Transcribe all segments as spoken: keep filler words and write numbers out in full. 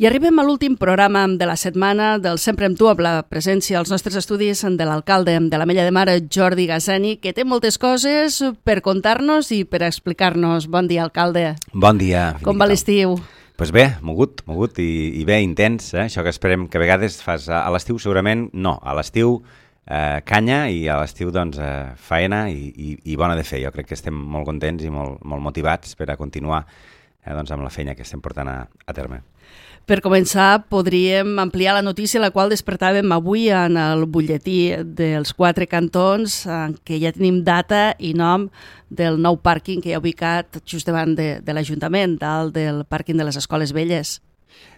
I arribem a l'últim programa de la setmana del Sempre amb tu, amb la presència als nostres estudis de l'alcalde de l'Ametlla de Mar, Jordi Gassani, que té moltes coses per contar-nos i per explicar-nos. Bon dia, alcalde. Bon dia. Com va l'estiu? Doncs pues bé, mogut, mogut i, i bé, intens, eh? Això que esperem que a vegades fas a, a l'estiu, segurament no. A l'estiu eh, canya i a l'estiu doncs eh, faena i, i, i bona de fer. Jo crec que estem molt contents i molt, molt motivats per a continuar eh, doncs, amb la feina que estem portant a, a terme. Per començar, podríem ampliar la notícia la qual despertàvem avui en el butlletí dels quatre cantons, en què ja tenim data i nom del nou pàrquing que hi ha ubicat just davant de, de l'Ajuntament, dalt del pàrquing de les Escoles Velles.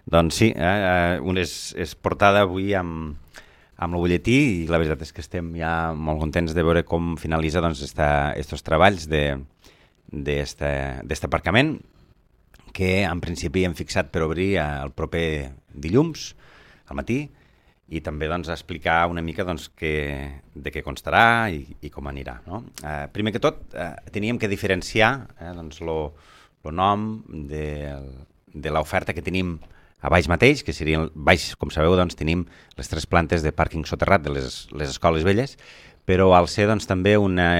Doncs sí, eh, un és, és portada avui amb, amb el butlletí i la veritat és que estem ja molt contents de veure com finalitza doncs, estos treballs d'este aparcament, que en principi hem fixat per obrir el proper dilluns al matí i també doncs, explicar una mica doncs, que, de què constarà i, i com anirà. No? Eh, primer que tot, eh, teníem que diferenciar eh, doncs, lo, lo nom de, de l'oferta que tenim a baix mateix, que serien, baix, com sabeu, doncs, tenim les tres plantes de pàrquing soterrat de les, les Escoles Velles, però al ser doncs, també una,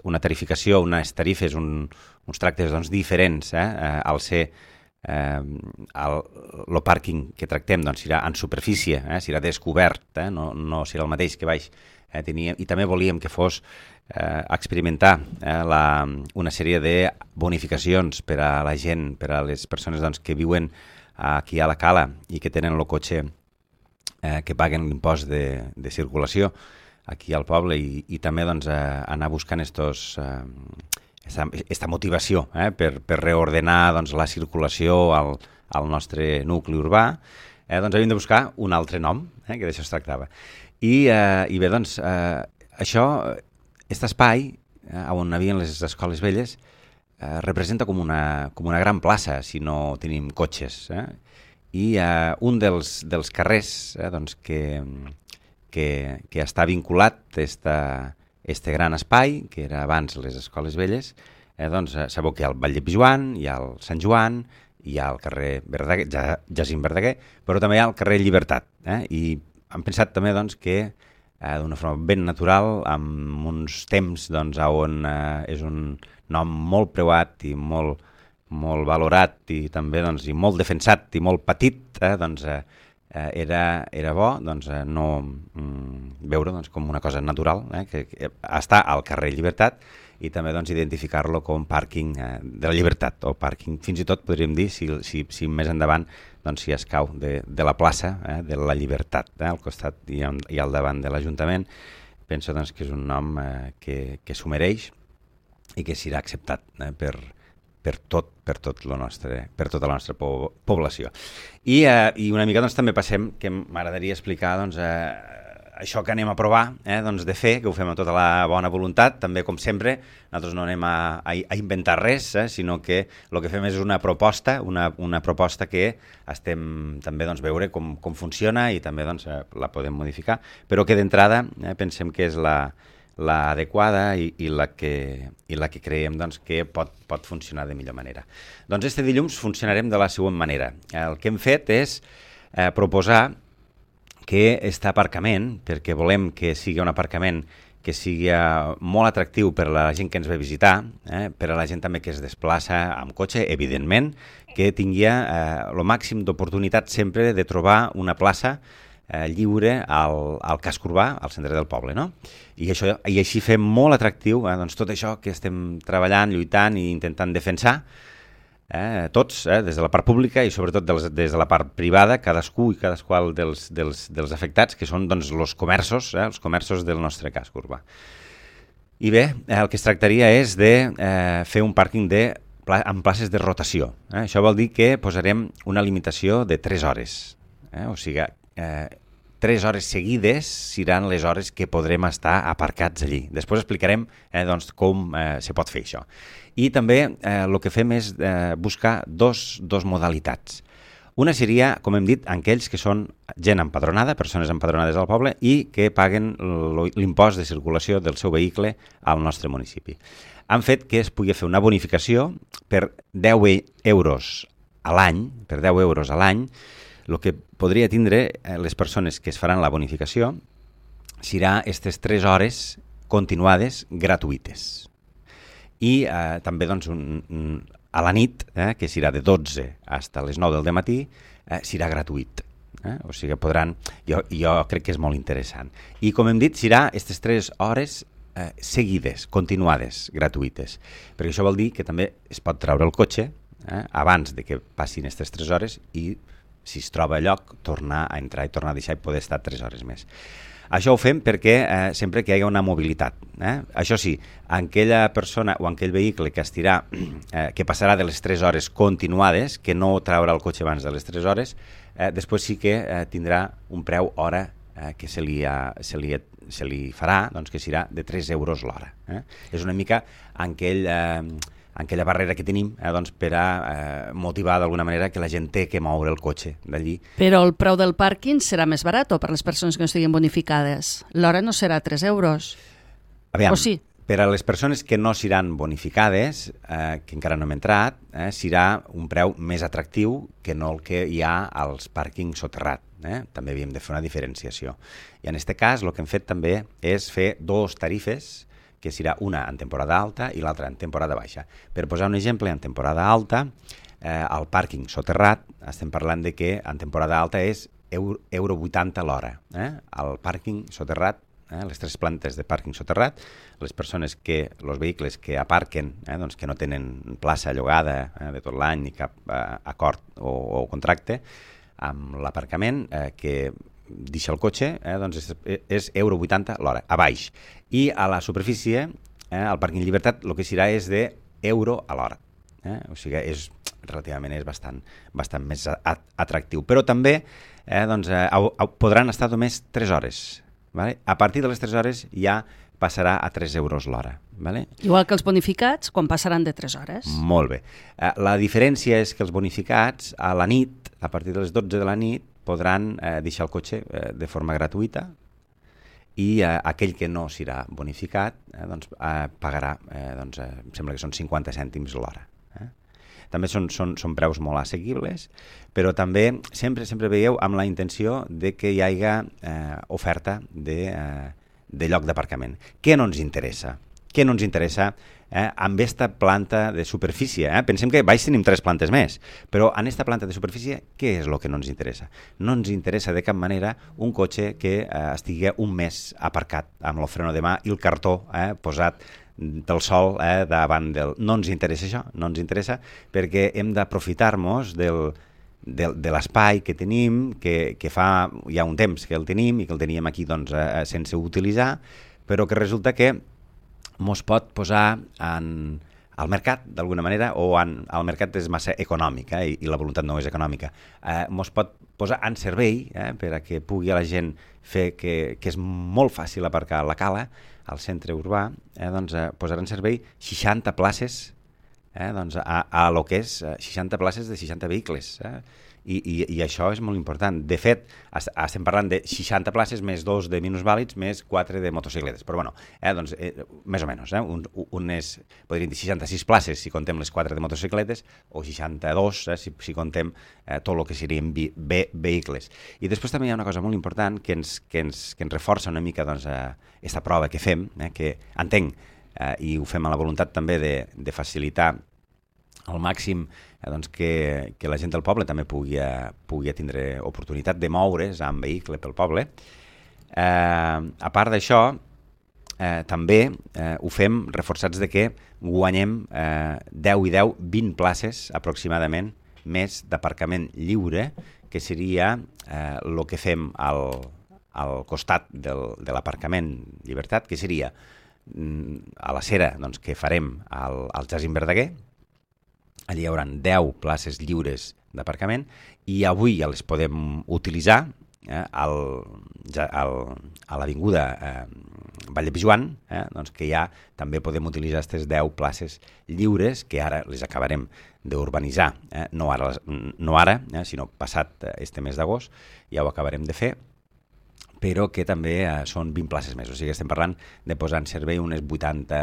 una tarificació, unes tarifes, un, uns tractes doncs, diferents, eh, al ser Eh, el, el pàrquing que tractem doncs, serà en superfície, eh, serà descobert, eh, no, no serà el mateix que baix. Eh, teníem, I també volíem que fos eh, experimentar eh, la, una sèrie de bonificacions per a la gent, per a les persones doncs, que viuen aquí a la Cala i que tenen el cotxe eh, que paguen l'impost de, de circulació aquí al poble i, i també doncs, eh, anar buscant estos... Eh, Esta, esta motivació eh, per, per reordenar doncs, la circulació al, al nostre nucli urbà, eh, doncs havíem de buscar un altre nom, eh, que d'això es tractava. I, eh, i bé, doncs, eh, això, aquest espai, eh, on havien les Escoles Velles, eh, representa com una, com una gran plaça, si no tenim cotxes. Eh? I eh, un dels, dels carrers eh, doncs, que, que, que està vinculat a esta este gran espai, que era abans les Escoles Velles, eh, doncs sabeu que hi ha el Vall de Pijuan, hi ha el Sant Joan, hi ha el carrer Verdaguer, ja, Jacint Verdaguer, però també hi ha el carrer Llibertat. Eh? I hem pensat també doncs, que eh, d'una forma ben natural, amb uns temps doncs, on eh, és un nom molt preuat i molt, molt valorat i també doncs, i molt defensat i molt petit, eh, doncs, eh, Era, era bo doncs, no mm, veure doncs, com una cosa natural, eh, que, que està al carrer Llibertat i també doncs, identificar-lo com pàrquing eh, de la Llibertat o pàrquing, fins i tot podríem dir, si, si, si més endavant doncs, si escau de, de la plaça eh, de la Llibertat, eh, al costat i, i al davant de l'Ajuntament. Penso doncs, que és un nom eh, que, que s'ho mereix i que serà acceptat eh, per per tot, per tot lo nostre, per tota la nostra po població. I, eh, i una mica doncs, també passem, que m'agradaria explicar doncs, eh, això que anem a provar, eh, doncs, de fer, que ho fem amb tota la bona voluntat, també com sempre, nosaltres no anem a, a, a inventar res, eh, sinó que el que fem és una proposta, una, una proposta que estem també doncs, veure com, com funciona i també doncs, eh, la podem modificar, però que d'entrada eh, pensem que és la l'adequada i, i, la que, i la que creiem doncs, que pot, pot funcionar de millor manera. Doncs este dilluns funcionarem de la següent manera. El que hem fet és eh, proposar que aquest aparcament, perquè volem que sigui un aparcament que sigui molt atractiu per a la gent que ens ve a visitar, eh, per a la gent també que es desplaça amb cotxe, evidentment, que tingui eh, el màxim d'oportunitat sempre de trobar una plaça Eh, lliure al, al casc urbà, al centre del poble, no? I, això, i així fem molt atractiu eh, doncs tot això que estem treballant, lluitant i intentant defensar, eh, tots, eh, des de la part pública i sobretot dels, des de la part privada, cadascú i cadasqual dels, dels, dels afectats, que són doncs, els comerços, eh, els comerços del nostre casc urbà. I bé, eh, el que es tractaria és de eh, fer un pàrquing de, amb places de rotació. Eh? Això vol dir que posarem una limitació de tres hores, eh? O sigui, eh, tres hores seguides seran les hores que podrem estar aparcats allí. Després explicarem eh, doncs, com eh, se pot fer això. I també eh, el que fem és eh, buscar dos, dos modalitats. Una seria, com hem dit, aquells que són gent empadronada, persones empadronades al poble i que paguen l'impost de circulació del seu vehicle al nostre municipi. Han fet que es pugui fer una bonificació per deu euros a l'any, per deu euros a l'any, el que podria tindre eh, les persones que es faran la bonificació serà aquestes tres hores continuades gratuïtes. I eh, també doncs, un, un, a la nit, eh, que serà de dotze fins a les nou del matí, eh, serà gratuït. Eh? O sigui, podran... Jo, jo crec que és molt interessant. I, com hem dit, serà aquestes tres hores eh, seguides, continuades, gratuïtes. Perquè això vol dir que també es pot treure el cotxe eh, abans de que passin aquestes tres hores i, si es troba a lloc, tornar a entrar i tornar a deixar i poder estar tres hores més. Això ho fem perquè eh, sempre que hi hagi una mobilitat. Eh? Això sí, aquella persona o aquell vehicle que estirà, eh, que passarà de les tres hores continuades, que no traurà el cotxe abans de les tres hores, eh, després sí que eh, tindrà un preu hora eh, que se li, ha, se, li, se li farà, doncs que serà de tres euros l'hora. Eh? És una mica aquell... Eh, aquella barrera que tenim eh, doncs per a eh, motivar d'alguna manera que la gent té que moure el cotxe d'allí. Però el preu del pàrquing serà més barat per a les persones que no estiguin bonificades? L'hora no serà tres euros? Aviam, o sí? Per a les persones que no seran bonificades, eh, que encara no hem entrat, eh, serà un preu més atractiu que no el que hi ha als pàrquings soterrats. Eh? També havíem de fer una diferenciació. I en aquest cas el que hem fet també és fer dos tarifes, que serà una en temporada alta i l'altra en temporada baixa. Per posar un exemple, en temporada alta, eh, al pàrquing soterrat estem parlant de que en temporada alta és euro vuitanta l'hora. Eh? Al pàrquing soterrat, eh, les tres plantes de pàrquing soterrat, les persones que, els vehicles que aparquen, eh, doncs que no tenen plaça llogada eh, de tot l'any ni cap eh, acord o, o contracte amb l'aparcament, eh, que deixa el cotxe, eh, doncs és, és euro vuitanta l'hora, a baix. I a la superfície, eh, al pàrquing Llibertat, el que serà és de euro a l'hora. Eh? O sigui, és, relativament és bastant, bastant més atractiu. Però també eh, doncs, eh, podran estar només tres hores. Vale? A partir de les tres hores ja passarà a tres euros l'hora. Vale? Igual que els bonificats, quan passaran de tres hores. Molt bé. Eh, la diferència és que els bonificats, a la nit, a partir de les dotze de la nit, podran eh, deixar el cotxe eh, de forma gratuïta i eh, aquell que no serà bonificat eh, doncs, eh, pagarà, eh, doncs, eh, em sembla que són cinquanta cèntims l'hora. Eh? També són, són, són preus molt assequibles, però també sempre sempre veieu amb la intenció de que hi hagi eh, oferta de, eh, de lloc d'aparcament. Què no ens interessa? Què no ens interessa eh, amb aquesta planta de superfície? Eh? Pensem que baix tenim tres plantes més, però en aquesta planta de superfície, què és el que no ens interessa? No ens interessa de cap manera un cotxe que eh, estigui un mes aparcat amb el freno de mà i el cartó eh, posat del sol eh, davant del... No ens interessa això, no ens interessa perquè hem d'aprofitar-nos del, del, de l'espai que tenim, que, que fa ja un temps que el tenim i que el teníem aquí doncs, eh, sense utilitzar, però que resulta que mos pot posar en, al mercat, d'alguna manera, o en, el mercat és massa econòmic, eh, i, i la voluntat no és econòmica. Eh, mos pot posar en servei eh, per a que pugui a la gent fer que, que és molt fàcil aparcar a la Cala, al centre urbà, eh, doncs, eh, posar en servei seixanta places, eh, doncs, a, a lo que és seixanta places de seixanta vehicles. Eh? I, i, i això és molt important. De fet, estem parlant de seixanta places més dos de minusvàlids més quatre de motocicletes. Però bueno, eh, doncs, eh, més o menys. Eh? Un, un és, podríem dir, seixanta-sis places si contem les quatre de motocicletes o seixanta-dos eh, si, si contem eh, tot el que serien vi, ve, vehicles. I després també hi ha una cosa molt important que ens, que ens, que ens reforça una mica doncs, eh, esta prova que fem, eh, que entenc, eh, i ho fem a la voluntat també de, de facilitar al màxim eh, doncs que, que la gent del poble també pugui, eh, pugui tindre oportunitat de moure's amb vehicle pel poble. Eh, a part d'això, eh, també eh, ho fem reforçats de que guanyem eh, deu i deu, vint places aproximadament més d'aparcament lliure, que seria eh, el que fem al, al costat del, de l'aparcament Llibertat, que seria mm, a la cera doncs, que farem al, al Jacint Verdaguer. Allí hi haurà deu places lliures d'aparcament i avui ja les podem utilitzar eh, al, al, a l'avinguda eh, Vall de Pijuan, eh, doncs que ja també podem utilitzar aquestes deu places lliures que ara les acabarem d'urbanitzar. Eh, no ara, no ara eh, sinó passat este mes d'agost, ja ho acabarem de fer, però que també eh, són vint places més. O sigui, estem parlant de posar en servei unes vuitanta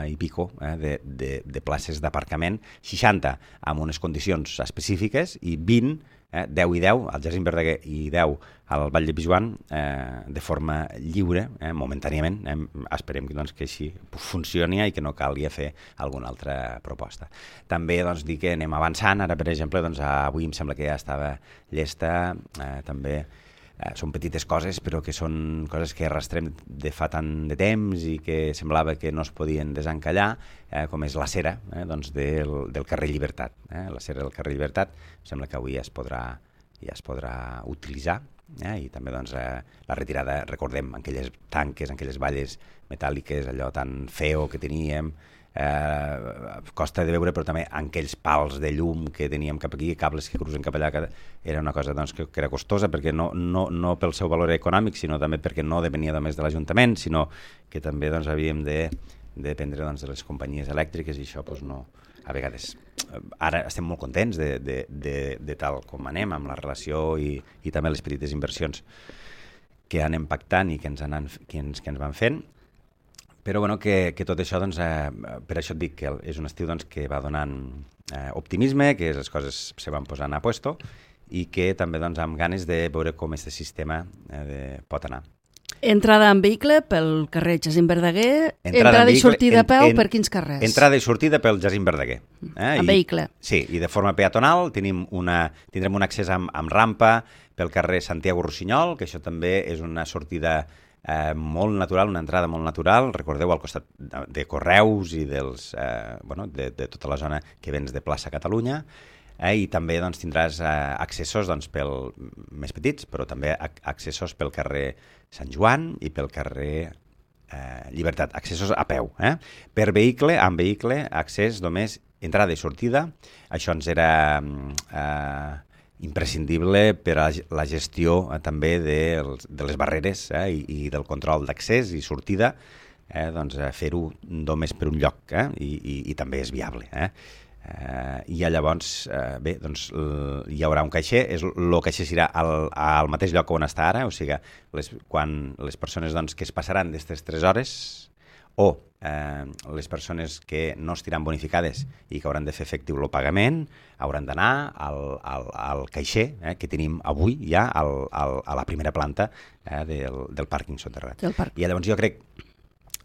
i pico eh, de, de, de places d'aparcament, seixanta amb unes condicions específiques i vint eh, deu i deu, al Jacint Verdaguer i deu al Vall de Pijuan, eh, de forma lliure, eh, momentàniament. Eh, esperem doncs, que així funcioni i que no calgui fer alguna altra proposta. També doncs, dir que anem avançant. Ara, per exemple, doncs, avui em sembla que ja estava llesta, eh, també eh, són petites coses, però que són coses que arrastrem de fa tant de temps i que semblava que no es podien desencallar, eh, com és la cera eh, doncs del, del carrer Llibertat. Eh? La cera del carrer Llibertat sembla que avui ja es podrà, ja es podrà utilitzar. Eh? I també doncs, eh, la retirada, recordem, aquelles tanques, aquelles valles metàl·liques, allò tan feo que teníem, eh, costa de veure, però també aquells pals de llum que teníem cap aquí, cables que cruzen cap allà, que era una cosa doncs, que, que era costosa, perquè no, no, no pel seu valor econòmic, sinó també perquè no depenia només de l'Ajuntament, sinó que també doncs, havíem de, de dependre doncs, de les companyies elèctriques, i això doncs, no, a vegades... Ara estem molt contents de, de, de, de tal com anem amb la relació i, i també les petites inversions que anem pactant i que ens, anan, que ens, que ens van fent, però bueno, que, que tot això, doncs, eh, per això et dic que és un estiu doncs, que va donant eh, optimisme, que les coses se van posant a puesto i que també doncs, amb ganes de veure com aquest sistema eh, de, pot anar. Entrada en vehicle pel carrer Jacint Verdaguer, entrada, entrada i vehicle, sortida a peu en, en, per quins carrers? Entrada i sortida pel Jacint Verdaguer. Eh? En vehicle. Sí, i de forma peatonal tenim una, tindrem un accés amb, amb rampa pel carrer Santiago Rossinyol, que això també és una sortida eh, molt natural, una entrada molt natural. Recordeu, al costat de, de Correus i dels, eh, bueno, de, de tota la zona que vens de plaça Catalunya. Eh, I també doncs, tindràs eh, accessos doncs, pel, més petits, però també accessos pel carrer Sant Joan i pel carrer eh, Llibertat, accessos a peu. Eh? Per vehicle, amb vehicle, accés només entrada i sortida. Això ens era eh, imprescindible per a la gestió eh, també de, de les barreres eh, i, i del control d'accés i sortida, eh, doncs, eh, fer-ho només per un lloc eh, i, i, i també és viable. Eh? Uh, i llavors, uh, bé, doncs hi haurà un caixer, és, el caixer serà al, al mateix lloc on està ara, o sigui, les, quan les persones doncs, que es passaran d'aquestes tres hores o uh, les persones que no estiran bonificades i que hauran de fer efectiu el pagament, hauran d'anar al, al, al caixer eh, que tenim avui ja al, al, a la primera planta eh, del, del pàrquing soterrat. Parc. I llavors jo crec,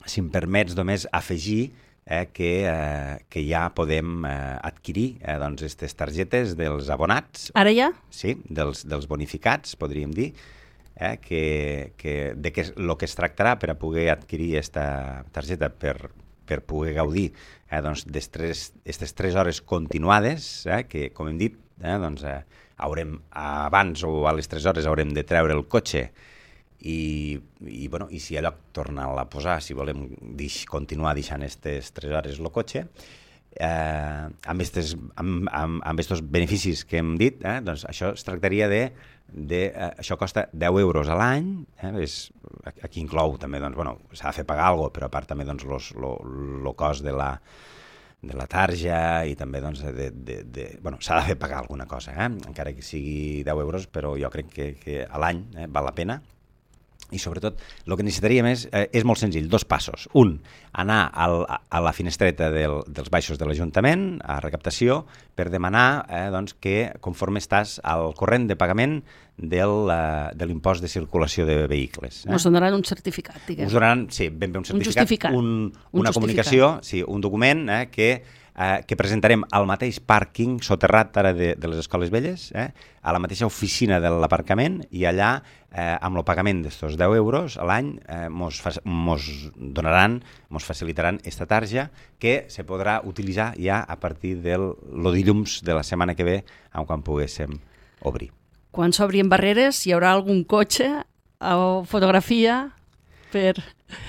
si em permets només afegir, Eh, que, eh, que ja podem eh, adquirir eh, doncs, aquestes targetes dels abonats. Ara ja? Sí, dels, dels bonificats, podríem dir, eh, que, que, de què el que es tractarà per a poder adquirir aquesta targeta per, per poder gaudir eh, doncs, d'aquestes tres hores continuades, eh, que, com hem dit, eh, doncs, eh, haurem, abans o a les tres hores haurem de treure el cotxe I, i, bueno, i si a lloc tornar-la a posar, si volem dix, continuar deixant aquestes tres hores el cotxe, eh, amb aquests amb, amb, amb estos beneficis que hem dit, eh, doncs això es tractaria de, de eh, això costa deu euros a l'any, eh, és, aquí inclou també, doncs, bueno, s'ha de fer pagar alguna cosa, però a part també doncs, el cost de la de la tarja i també doncs, de, de, de, bueno, s'ha de fer pagar alguna cosa, eh? Encara que sigui deu euros, però jo crec que, que a l'any eh, val la pena. I sobretot el que necessitaríem és, eh, és molt senzill, dos passos. Un, anar al, a la finestreta del, dels baixos de l'Ajuntament, a recaptació, per demanar eh, doncs, que conforme estàs al corrent de pagament del, uh, de l'impost de circulació de vehicles. Eh? Us donaran un certificat, diguem. Us donaran, sí, ben bé un certificat. Un justificat. Un, un una justificat. comunicació, sí, un document eh, que Eh, que presentarem al mateix pàrquing soterrat ara de, de les Escoles Velles, eh, a la mateixa oficina de l'aparcament, i allà, eh, amb el pagament d'estos deu euros a l'any, eh, mos, fa, mos donaran, mos facilitaran esta tarja que se podrà utilitzar ja a partir del lo dilluns de la setmana que ve, quan poguéssim obrir. Quan s'obrin barreres, hi haurà algun cotxe o fotografia per...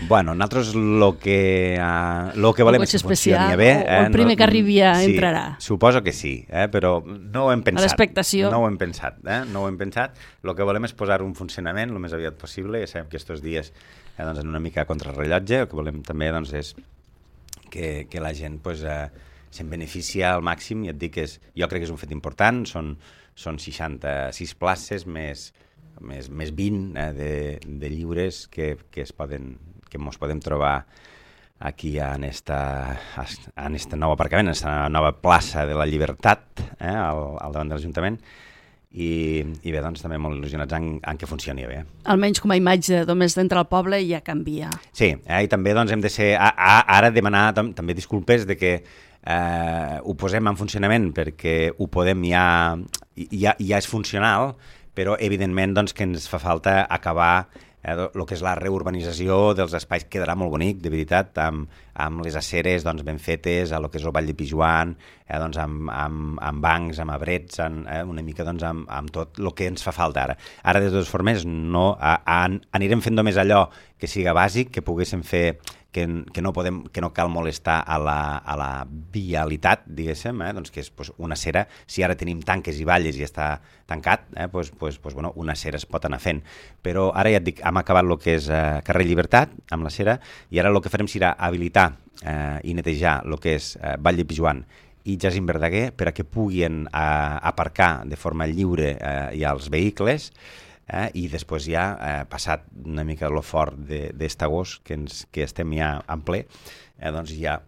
Bueno, nosaltres el que, uh, lo que volem és que funcioni bé. O, o el primer eh? que arribi ja sí, entrarà. Suposo que sí, eh? Però no ho hem pensat. A l'expectació. No ho hem pensat, eh? No ho hem pensat. El que volem és posar un funcionament el més aviat possible. Ja sabem que aquests dies eh, doncs, en una mica contrarrellotge, el que volem també doncs, és que, que la gent pues, eh, se'n beneficia al màxim, i et dic que és, jo crec que és un fet important, són, són seixanta-sis places més... més, més vint eh, de, de lliures que, que es poden que ens podem trobar aquí en esta, en esta nova aparcament, en esta nova plaça de la Llibertat, eh, al, al davant de l'Ajuntament, i, i bé, doncs també molt il·lusionats en, en que funcioni bé. Almenys com a imatge, només d'entrar al poble ja canvia. Sí, eh, i també doncs, hem de ser, a, a, ara demanar tam, també disculpes de que eh, ho posem en funcionament perquè ho podem ja, ja, ja és funcional, però evidentment doncs, que ens fa falta acabar eh, el que és la reurbanització dels espais. Quedarà molt bonic, de veritat, amb, amb les aceres doncs, ben fetes, a lo que és el Vall de Pijuan, eh, doncs, amb, amb, amb bancs, amb abrets, en, eh, una mica doncs, amb, amb tot el que ens fa falta ara. Ara, de totes formes, no, a, a, anirem fent només allò que siga bàsic, que poguéssim fer, que, que, no, podem, que no cal molestar a la, a la vialitat, diguéssim, eh, doncs que és pues, una acera. Si ara tenim tanques i valles i està tancat, eh, pues, pues, pues, bueno, una acera es pot anar fent. Però ara ja et dic, hem acabat el que és eh, carrer Llibertat, amb la acera, i ara el que farem serà habilitar eh, i netejar el que és eh, Vall de Pijuan i Jacint Verdaguer per a que puguin eh, aparcar de forma lliure eh, ja els vehicles, eh, i després ja, eh, passat una mica lo fort d'est agost, que, ens, que estem ja en ple, eh, doncs ja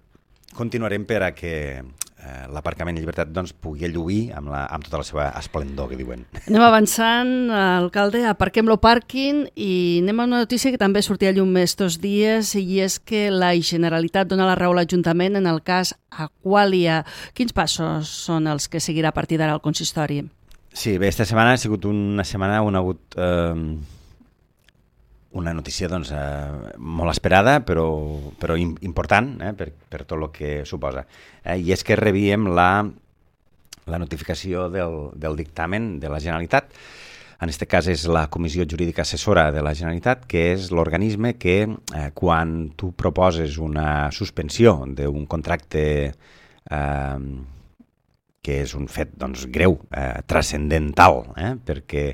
continuarem per a que eh, l'aparcament de Llibertat doncs, pugui lluir amb, la, amb tota la seva esplendor, que diuen. Anem avançant, alcalde, aparquem lo pàrquing i anem a una notícia que també sortia a llum estos dies, i és que la Generalitat dona la raó a l'Ajuntament en el cas Aqualia. Quins passos són els que seguirà a partir d'ara el consistori? Sí, bé, esta setmana ha sigut una setmana on ha hagut eh, una notícia doncs, eh, molt esperada, però, però important eh, per, per tot el que suposa. Eh, I és que rebíem la, la notificació del, del dictamen de la Generalitat. En aquest cas és la Comissió Jurídica Assessora de la Generalitat, que és l'organisme que eh, quan tu proposes una suspensió d'un contracte eh, que és un fet doncs, greu, eh, transcendental, eh, perquè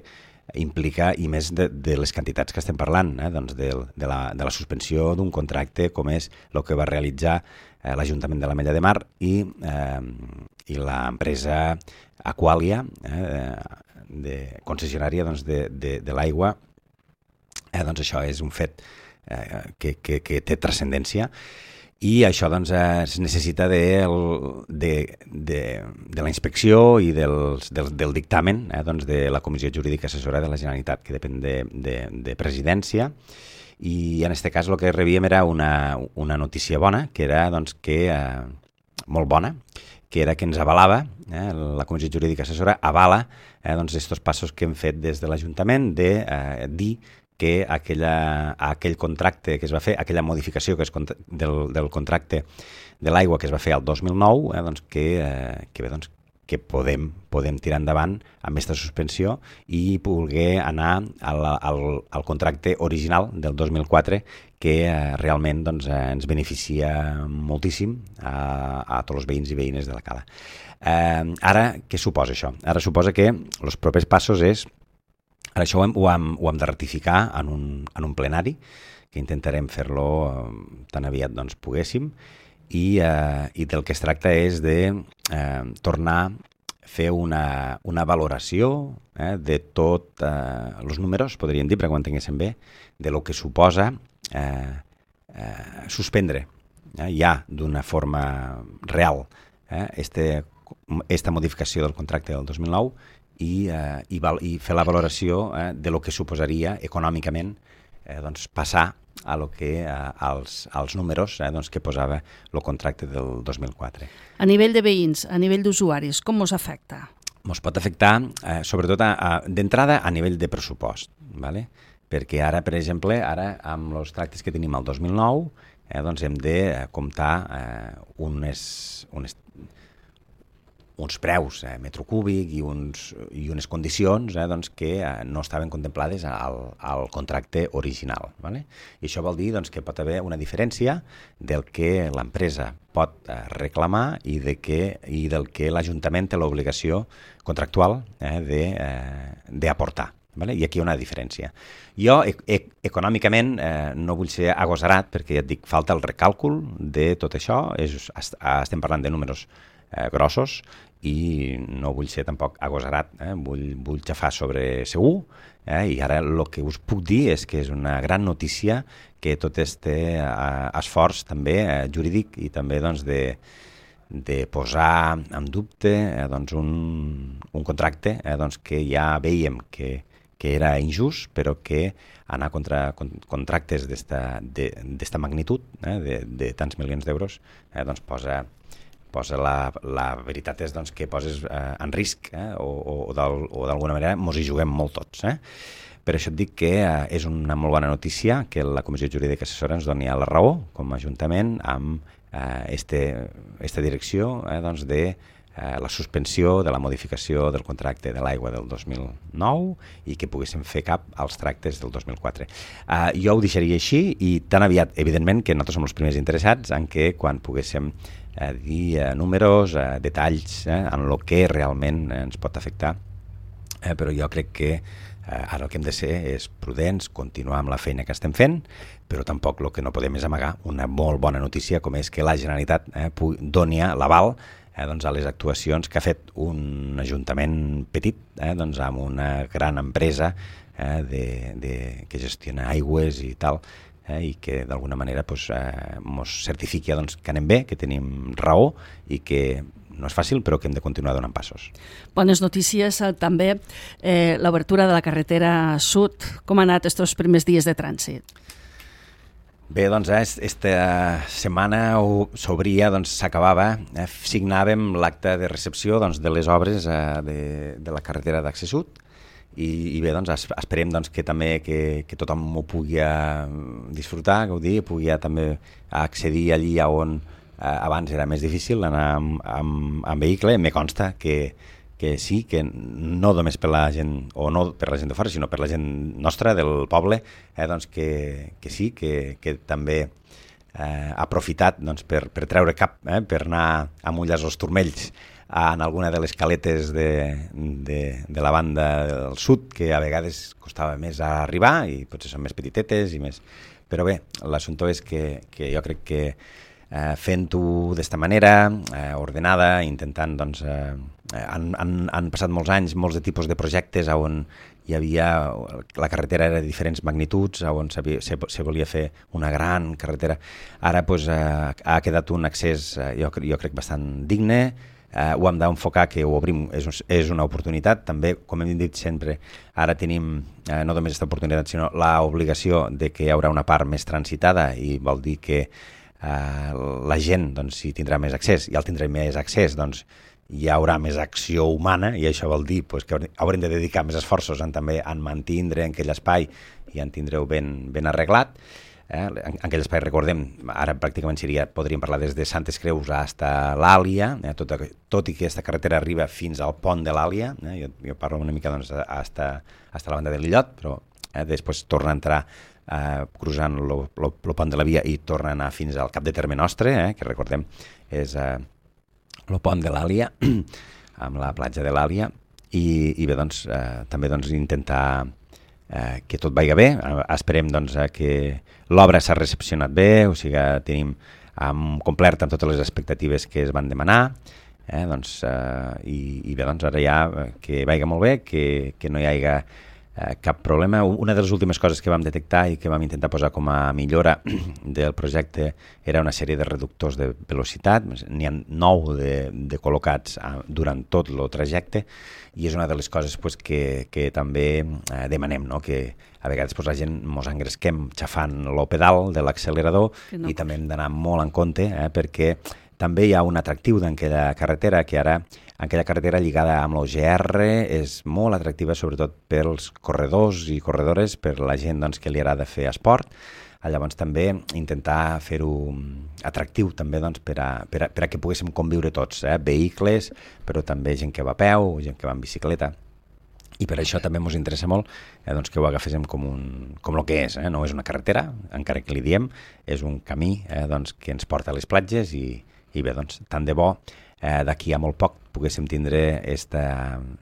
implica, i més de, de les quantitats que estem parlant, eh, doncs de, de, la, de la suspensió d'un contracte com és el que va realitzar eh, l'Ajuntament de l'Ametlla de Mar i, eh, i l'empresa Aqualia, eh, de concessionària doncs, de, de, de l'aigua. Eh, doncs això és un fet eh, que, que, que té transcendència. I això doncs, es necessita de, de, de, de la inspecció i dels, del, del dictamen eh, doncs de la Comissió Jurídica Assessora de la Generalitat, que depèn de, de, de presidència. I en aquest cas el que rebíem era una, una notícia bona, que era doncs, que, eh, molt bona, que era que ens avalava, eh, la Comissió Jurídica Assessora avala eh, doncs, estos passos que hem fet des de l'Ajuntament de eh, dir que aquella, aquell contracte que es va fer, aquella modificació que és del, del contracte de l'aigua que es va fer el dos mil nou, eh, doncs que, eh, que, bé, doncs, que podem, podem tirar endavant amb aquesta suspensió i poder anar al, al, al contracte original del dos mil quatre, que eh, realment doncs, eh, ens beneficia moltíssim a, a tots els veïns i veïnes de la Cala. Eh, ara, què suposa això? Ara suposa que els propers passos és Ara això ho hem, ho, hem, ho hem de ratificar en un, en un plenari, que intentarem fer-lo eh, tan aviat doncs, poguéssim, i, eh, i del que es tracta és de eh, tornar a fer una, una valoració eh, de tots eh, els números, podríem dir, perquè ho entenguéssim bé, de lo que suposa eh, eh, suspendre eh, ja d'una forma real eh, este, esta modificació del contracte del dos mil nou, I, eh, i, val, i fer la valoració eh, de lo que suposaria econòmicament eh, doncs passar a lo que, eh, als, als números eh, doncs que posava el contracte del dos mil quatre. A nivell de veïns, a nivell d'usuaris, com us afecta? Ens pot afectar, eh, sobretot d'entrada, a nivell de pressupost, ¿vale? Perquè ara, per exemple, ara amb els tractes que tenim el dos mil nou, eh, doncs hem de comptar eh, unes, unes uns preus eh, metro cúbic i, uns, i unes condicions eh, doncs, que eh, no estaven contemplades al, al contracte original. ¿Vale? I això vol dir doncs, que pot haver una diferència del que l'empresa pot eh, reclamar i, de que, i del que l'Ajuntament té l'obligació contractual eh, d'aportar. Eh, ¿vale? I aquí hi ha una diferència. Jo, e e econòmicament, eh, no vull ser agosarat perquè ja et dic, falta el recàlcul de tot això. És, estem parlant de números eh, grossos i no vull ser tampoc agosarat, eh? vull, vull xafar sobre segur, eh? I ara el que us puc dir és que és una gran notícia que tot este eh, esforç també eh, jurídic i també doncs, de, de posar en dubte eh, doncs un, un contracte eh, doncs que ja veiem que, que era injust, però que anar contra contractes d'esta magnitud, eh, de, de tants milions d'euros, eh, doncs posa, posa la, la veritat és doncs, que poses eh, en risc eh, o, o d'alguna manera mos hi juguem molt tots. Eh? Per això et dic que eh, és una molt bona notícia que la Comissió Jurídica Assessora ens doni la raó com a Ajuntament amb eh, este, esta direcció eh, doncs de eh, la suspensió de la modificació del contracte de l'aigua del dos mil nou i que poguéssim fer cap als tractes del dos mil quatre. Eh, jo ho deixaria així i tan aviat, evidentment, que nosaltres som els primers interessats en que quan poguéssim eh, dir eh, números, eh, detalls, eh, en el que realment eh, ens pot afectar, eh, però jo crec que Eh, ara el que hem de ser és prudents, continuar amb la feina que estem fent, però tampoc el que no podem és amagar una molt bona notícia com és que la Generalitat eh, doni l'aval eh, doncs a les actuacions que ha fet un ajuntament petit eh, doncs amb una gran empresa eh, de, de, que gestiona aigües i tal, eh, i que d'alguna manera pues, eh, mos certifiqui doncs, que anem bé, que tenim raó i que no és fàcil, però que hem de continuar donant passos. Bones notícies eh, també eh, l'obertura de la carretera sud. Com han anat aquests primers dies de trànsit? Bé, doncs, aquesta setmana s'obria, doncs s'acabava, eh, signàvem l'acte de recepció doncs, de les obres eh, de, de la carretera d'accés sud i, i bé, doncs esperem doncs, que també que, que tothom ho pugui disfrutar, gaudir, pugui també accedir allí on Eh, abans era més difícil anar amb, amb, amb vehicle. Me consta que, que sí, que no només per la gent, o no per la gent de fora, sinó per la gent nostra, del poble, eh, doncs que, que sí, que, que també eh, ha aprofitat doncs, per, per treure cap, eh, per anar a mullar els turmells en alguna de les caletes de, de, de la banda del sud, que a vegades costava més arribar i potser són més petitetes i més... Però bé, l'assumpte és que, que jo crec que Eh, fent-ho d'esta manera, eh, ordenada, intentant, doncs, eh, han, han, han passat molts anys, molts de tipus de projectes on hi havia, la carretera era de diferents magnituds, on se, se volia fer una gran carretera. Ara pues, eh, ha quedat un accés, eh, jo, jo crec, bastant digne, eh, ho hem d'enfocar que ho obrim, és, és una oportunitat, també, com hem dit sempre, ara tenim eh, no només aquesta oportunitat, sinó l'obligació de que hi haurà una part més transitada i vol dir que Uh, la gent doncs, si tindrà més accés i al tindrà més accés doncs, hi haurà més acció humana i això vol dir pues, que haurem de dedicar més esforços en, també en mantindre en aquell espai i en tindreu ben, ben arreglat. Eh? En, en aquell espai, recordem, ara pràcticament seria, podríem parlar des de Santes Creus fins a l'Àlia, eh? tot, tot i que aquesta carretera arriba fins al pont de l'Àlia, eh? jo, jo parlo una mica doncs, fins a la banda de l'Illot, però eh, després torna a entrar Uh, cruzant el pont de la via i torna a anar fins al cap de terme nostre, eh, que recordem és el uh, pont de l'Àlia, amb la platja de l'Àlia, i, i bé, doncs, uh, també doncs, intentar uh, que tot vagi bé. Uh, esperem doncs, uh, que l'obra s'ha recepcionat bé, o sigui, tenim um, complert amb totes les expectatives que es van demanar, eh, doncs, uh, i, i bé, doncs, ara ja uh, que vagi molt bé, que, que no hi hagi Eh, cap problema. Una de les últimes coses que vam detectar i que vam intentar posar com a millora del projecte era una sèrie de reductors de velocitat. N'hi ha nou de, de col·locats eh, durant tot el trajecte i és una de les coses pues, que, que també eh, demanem, no? Que a vegades pues, la gent mos engresquem xafant el pedal de l'accelerador no. I també hem d'anar molt en compte eh, perquè també hi ha un atractiu d'aquella carretera que ara aquella carretera lligada amb l'O G R és molt atractiva sobretot pels corredors i corredores, per la gent doncs, que li agrada fer esport. Llavors també intentar fer-ho atractiu també doncs, per, a, per, a, per a que poguéssim conviure tots, eh? Vehicles, però també gent que va a peu, gent que va en bicicleta. I per això també ens interessa molt eh, doncs, que ho agaféssim com, un, com el que és. Eh? No és una carretera, encara que li diem, és un camí eh, doncs, que ens porta a les platges i, i bé, doncs, tant de bo eh, d'aquí a molt poc poguéssim tindre este,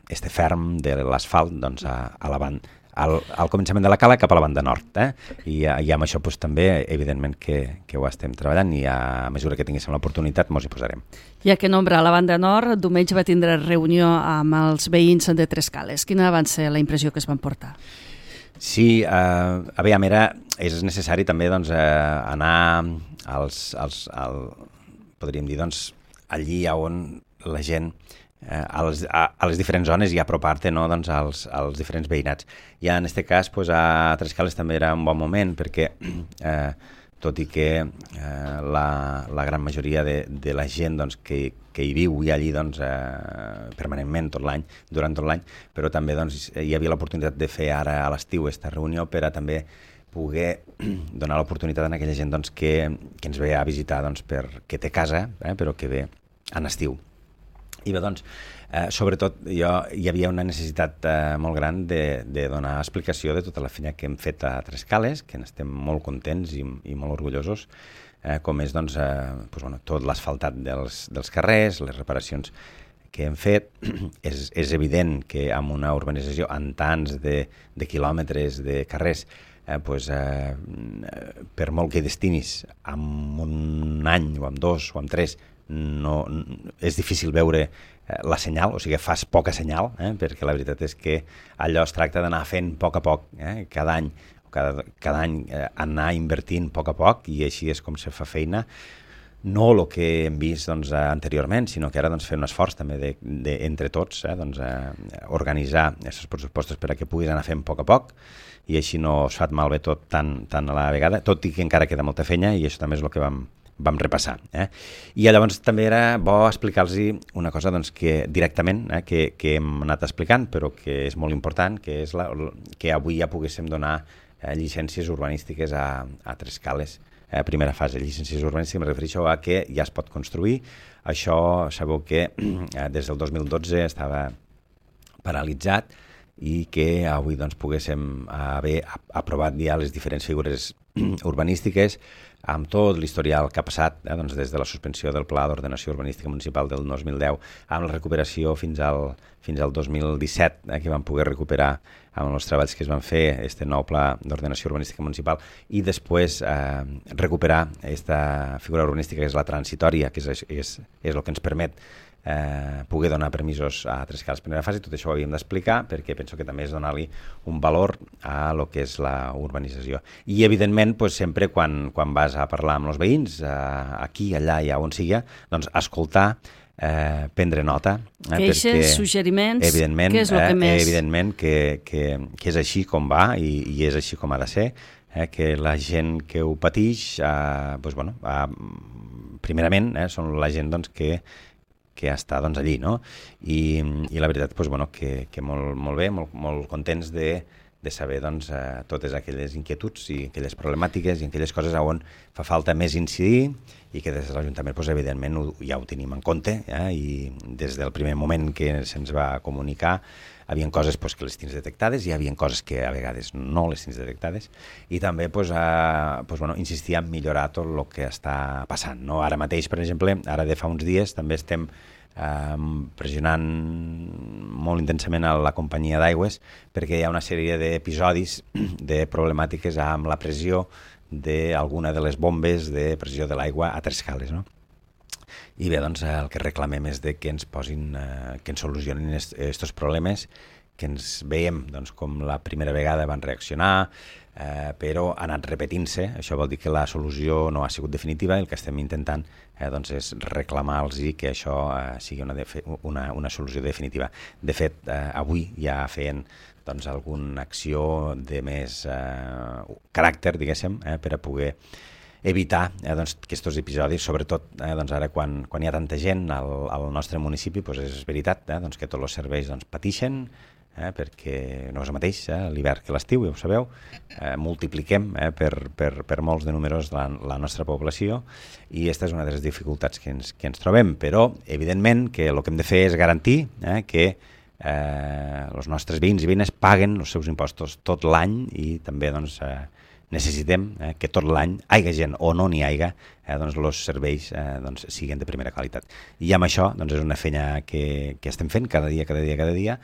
este ferm de l'asfalt doncs, a, a la banda, al, al començament de la cala cap a la banda nord. Eh? I, I amb això doncs, també, evidentment, que, que ho estem treballant i a mesura que tinguéssim l'oportunitat mos hi posarem. Ja que nombra a la banda nord, diumenge va tindre reunió amb els veïns de Trescales. Quina va ser la impressió que es van portar? Sí, eh, aviam, era, és necessari també doncs, eh, anar als, als, al, podríem dir, doncs, allí on la gent, eh, a, les, a, a les diferents zones i apropar-te, no, doncs, als, als diferents veïnats. I en aquest cas, pues, a Trescales també era un bon moment perquè, eh, tot i que eh, la, la gran majoria de, de la gent doncs, que, que hi viu i allí doncs, eh, permanentment tot l'any, durant tot l'any, però també doncs, hi havia l'oportunitat de fer ara a l'estiu aquesta reunió per a també poder donar l'oportunitat a aquella gent doncs, que, que ens ve a visitar doncs, perquè té casa, eh, però que ve en estiu. I bé, doncs, eh, sobretot jo, hi havia una necessitat eh, molt gran de, de donar explicació de tota la feina que hem fet a Trescales, que n'estem molt contents i, i molt orgullosos, eh, com és doncs, eh, doncs, bueno, tot l'asfaltat dels, dels carrers, les reparacions que hem fet. és, és evident que amb una urbanització en tants de, de quilòmetres de carrers, eh, doncs, eh, per molt que destinis amb un any o amb dos o amb tres, no, és difícil veure eh, la senyal, o sigui, fas poca senyal, eh, perquè la veritat és que allò es tracta d'anar fent a poc a poc, eh, cada any, cada, cada any eh, anar invertint a poc a poc, i així és com se fa feina. No el que hem vist doncs, anteriorment, sinó que ara doncs, fer un esforç també de, de, entre tots, eh, doncs, eh, organitzar aquests pressupostos per a que puguis anar fent a poc a poc, i així no es fa malbé tot tan, tan a la vegada, tot i que encara queda molta feina, i això també és el que vam vam repassar. Eh? I llavors també era bo explicar-los una cosa doncs, que directament, eh, que, que hem anat explicant, però que és molt important, que és la, que avui ja poguéssim donar eh, llicències urbanístiques a, a Trescales. Eh, primera fase, llicències urbanístiques, em refereixo a que ja es pot construir. Això sabeu que eh, des del dos mil dotze estava paralitzat, i que avui doncs, poguéssim haver aprovat ja les diferents figures urbanístiques amb tot l'historial que ha passat, eh, doncs des de la suspensió del Pla d'Ordenació Urbanística Municipal del dos mil deu, amb la recuperació fins al, fins al dos mil disset, eh, que vam poder recuperar amb els treballs que es van fer, este nou Pla d'Ordenació Urbanística Municipal, i després eh, recuperar aquesta figura urbanística que és la transitòria, que és, és, és el que ens permet Eh, poder donar permisos a Trescales primera fase. Tot això ho havíem d'explicar perquè penso que també és donar-li un valor a lo que és la urbanització. I evidentment, pues, sempre quan, quan vas a parlar amb els veïns, eh, aquí, allà i on sigui, doncs escoltar, eh, prendre nota. Eh, Queixes, perquè, suggeriments, evidentment, què és el que eh, més... Evidentment que, que, que és així com va i, i és així com ha de ser, eh, que la gent que ho patix, eh, pues, bueno, eh, primerament, eh, són la gent doncs, que que està doncs, allí, no? I, i la veritat, doncs, bueno, que, que molt, molt bé, molt, molt contents de, de saber doncs, eh, totes aquelles inquietuds i aquelles problemàtiques i aquelles coses on fa falta més incidir, i que des de l'Ajuntament, doncs, evidentment, ho, ja ho tenim en compte, eh? I des del primer moment que se'ns va comunicar hi havia coses pues, que les tens detectades, i hi havia coses que a vegades no les tens detectades, i també pues, a, pues, bueno, insistir en millorar tot el que està passant. No? Ara mateix, per exemple, ara de fa uns dies també estem eh, pressionant molt intensament a la companyia d'aigües perquè hi ha una sèrie d'episodis de problemàtiques amb la pressió d'alguna de les bombes de pressió de l'aigua a Trescales, no? I bé, doncs el que reclamem és de que ens posin, eh, que ens solucionin aquests problemes, que ens veiem doncs, com la primera vegada van reaccionar, eh, però ha anat repetint-se. Això vol dir que la solució no ha sigut definitiva, i el que estem intentant eh, doncs és reclamar-los que això eh, sigui una, una, una solució definitiva. De fet, eh, avui ja feien doncs, alguna acció de més eh, caràcter, diguéssim, eh, per a poder evitar eh, doncs, aquests episodis, sobretot eh, doncs ara quan, quan hi ha tanta gent al, al nostre municipi, doncs és veritat eh, doncs que tots els serveis doncs, patixen, eh, perquè no és el mateix eh, l'hivern que l'estiu, ja ho sabeu, eh, multipliquem eh, per, per, per molts de números la, la nostra població, i aquesta és una de les dificultats que ens, que ens trobem, però evidentment que el que hem de fer és garantir eh, que eh, els nostres veïns i veïnes paguen els seus impostos tot l'any, i també doncs, eh, necessitem eh, que tot l'any, haiga gent o no n'hi haiga, eh, doncs els serveis eh, doncs, siguin de primera qualitat. I amb això doncs, és una feina que, que estem fent cada dia, cada dia, cada dia,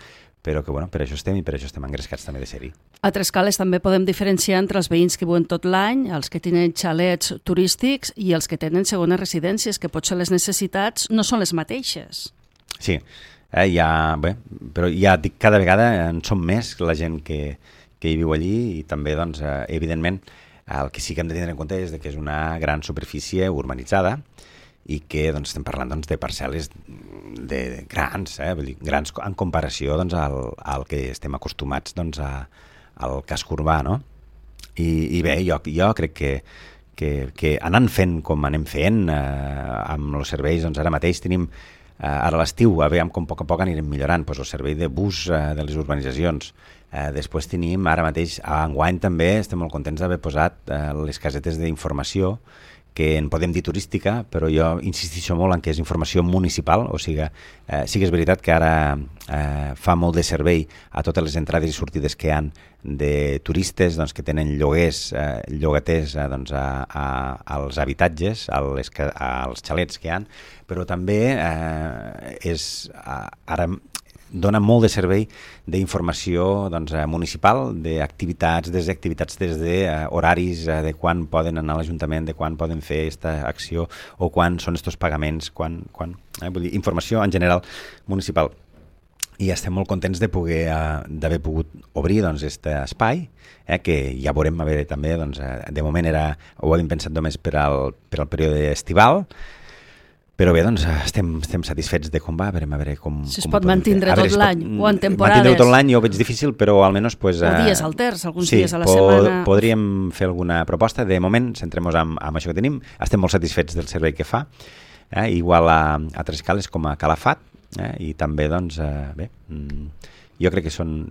però que bueno, per això estem i per això estem engrescats també de ser-hi. A Trescales també podem diferenciar entre els veïns que viuen tot l'any, els que tenen xalets turístics i els que tenen segones residències, que potser les necessitats no són les mateixes. Sí, eh, ja, bé, però ja dic, cada vegada en som més la gent que que hi viu allí, i també, doncs, eh, evidentment, el que sí que hem de tenir en compte és que és una gran superfície urbanitzada, i que doncs, estem parlant doncs, de parcel·les de, de grans, eh? Vull dir, grans en comparació doncs, al, al que estem acostumats doncs, a, al casc urbà, no? I, i bé, jo, jo crec que, que, que anant fent com anem fent eh, amb els serveis, doncs ara mateix tenim eh, ara a l'estiu, a veure com a poc a poc anirem millorant doncs, el servei de bus eh, de les urbanitzacions. Eh, després tenim, ara mateix, a enguany també estem molt contents d'haver posat eh, les casetes d'informació, que en podem dir turística, però jo insistixo molt en que és informació municipal, o sigui, eh, sí que és veritat que ara eh, fa molt de servei a totes les entrades i sortides que hi ha de turistes doncs, que tenen lloguers, eh, llogaters eh, doncs, a, a, als habitatges, a les, als xalets que hi ha, però també eh, és a, ara dona molt de servei d'informació doncs, municipal, d'activitats, des d'activitats des d'horaris, de, de quan poden anar a l'Ajuntament, de quan poden fer aquesta acció o quan són estos pagaments, quan, quan, eh, vull dir, informació en general municipal. I estem molt contents de poder eh, d'haver pogut obrir doncs, aquest espai, eh, que ja veurem, a veure, també, doncs, eh, de moment era, ho havíem pensat només per al, per al període estival, però bé, doncs estem, estem satisfets de com va, a veure, a veure com... Si es pot mantenir tot l'any, o en temporades. Mantenir tot l'any jo ho veig difícil, però almenys... Pues, o dies alters, alguns sí, dies a la po setmana. Podríem fer alguna proposta. De moment, centrem-nos amb, amb això que tenim. Estem molt satisfets del servei que fa, eh? Igual a, a Trescales com a Calafat, eh? I també, doncs, eh, bé, jo crec que són...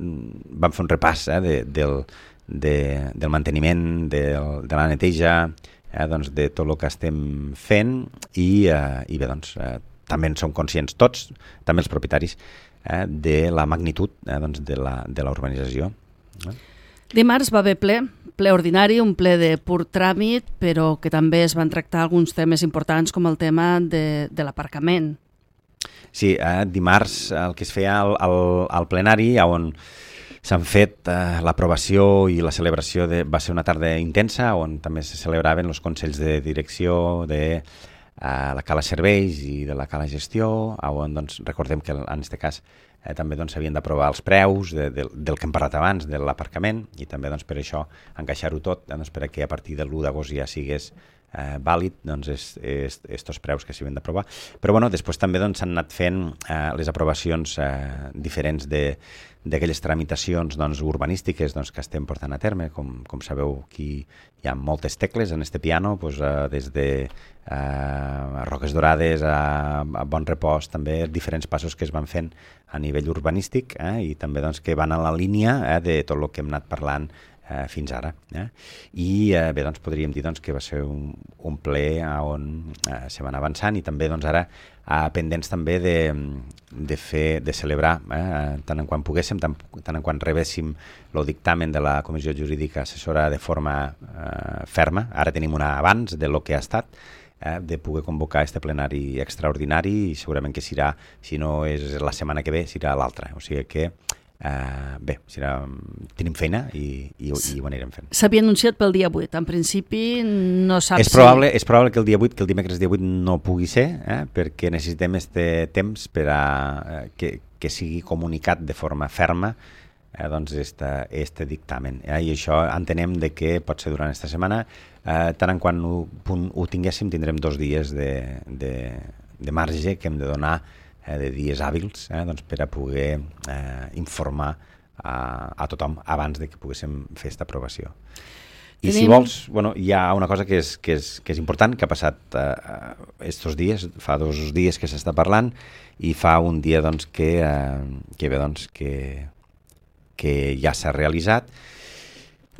Vam fer un repàs eh? de, del, de, del manteniment, de, de la neteja... Eh, doncs de tot el que estem fent i, eh, i bé, doncs, eh, també en som conscients tots, també els propietaris, eh, de la magnitud eh, doncs de la, de la urbanització. Eh? Dimarts va haver ple, ple ordinari, un ple de pur tràmit, però que també es van tractar alguns temes importants com el tema de, de l'aparcament. Sí, eh, dimarts el que es feia al, al, al plenari, on s'han fet eh, l'aprovació i la celebració, de, va ser una tarda intensa on també se celebraven els consells de direcció de eh, la Cala Serveis i de la Cala Gestió, on doncs, recordem que en aquest cas eh, també s'havien doncs, d'aprovar els preus de, de, del que hem parlat abans, de l'aparcament, i també doncs, per això encaixar-ho tot, doncs, per que a partir de l'u d'agost ja sigués Eh, vàlid, doncs, estos preus que s'havien d'aprovar. Però, bueno, després també s'han doncs, anat fent eh, les aprovacions eh, diferents de d'aquelles tramitacions doncs, urbanístiques doncs, que estem portant a terme. Com, com sabeu, aquí hi ha moltes tecles en este piano, doncs, eh, des de eh, Roques Dorades a, a Bon Repòs, també diferents passos que es van fent a nivell urbanístic eh, i també doncs, que van a la línia eh, de tot el que hem anat parlant Eh, fins ara. Eh? I eh, bé, doncs podríem dir doncs, que va ser un, un ple on eh, se van avançant i també doncs, ara eh, pendents també de, de, fer, de celebrar eh, tant en quan poguéssim, tant, tant en quan rebéssim el dictamen de la Comissió Jurídica Assessora de forma eh, ferma. Ara tenim una abans de lo que ha estat, eh, de poder convocar este plenari extraordinari i segurament que serà, si no és la setmana que ve, serà l'altra. O sigui que Uh, bé, serà, tenim feina i, i, i ho anirem fent. S'havia anunciat pel dia vuit, en principi no saps és probable, si... És probable que el dia vuit, que el dimecres dia vuit no pugui ser, eh, perquè necessitem este temps per a eh, que, que sigui comunicat de forma ferma eh, doncs este, este dictamen. Eh, I això entenem de que pot ser durant aquesta setmana, eh, tant en quan ho, ho tinguéssim tindrem dos dies de, de, de marge que hem de donar de dies hàbils eh, doncs per a poder eh, informar a, a tothom abans de que poguéssim fer aquesta aprovació. I Tenim... si vols, bueno, hi ha una cosa que és, que és, que és important, que ha passat eh, estos dies, fa dos dies que s'està parlant i fa un dia doncs, que, eh, que, bé, doncs, que, que ja s'ha realitzat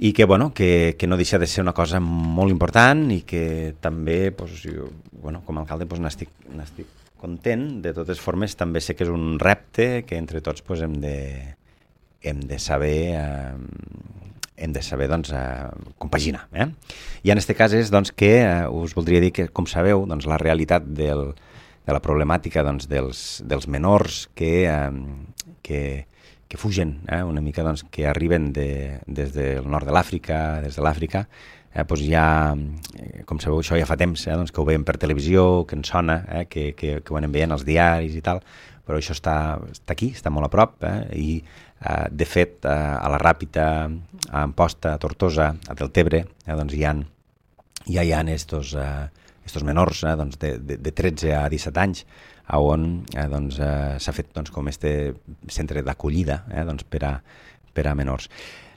i que, bueno, que, que no deixa de ser una cosa molt important i que també, doncs, jo, bueno, com a alcalde, doncs, n'estic, n'estic content. De totes formes, també sé que és un repte que entre tots pues, hem, de, hem de saber, eh, hem de saber doncs, eh, compaginar. Eh? I en aquest cas és doncs, que eh, us voldria dir que, com sabeu, doncs, la realitat del, de la problemàtica doncs, dels, dels menors que, eh, que, que fugen, eh, una mica doncs, que arriben de, des del nord de l'Àfrica, des de l'Àfrica, Eh, doncs ja, com sabeu, això ja fa temps eh, doncs que ho veiem per televisió, que ens sona, eh, que, que, que ho anem veient als diaris i tal, però això està, està aquí, està molt a prop, eh, i eh, de fet eh, a la Ràpita, a Amposta, a Tortosa, a Deltebre, eh, doncs hi ha, ja hi ha estos, eh, estos menors eh, doncs de, de, de tretze a disset anys, on eh, doncs, eh, s'ha fet doncs, com este centre d'acollida eh, doncs, per, a, per a menors.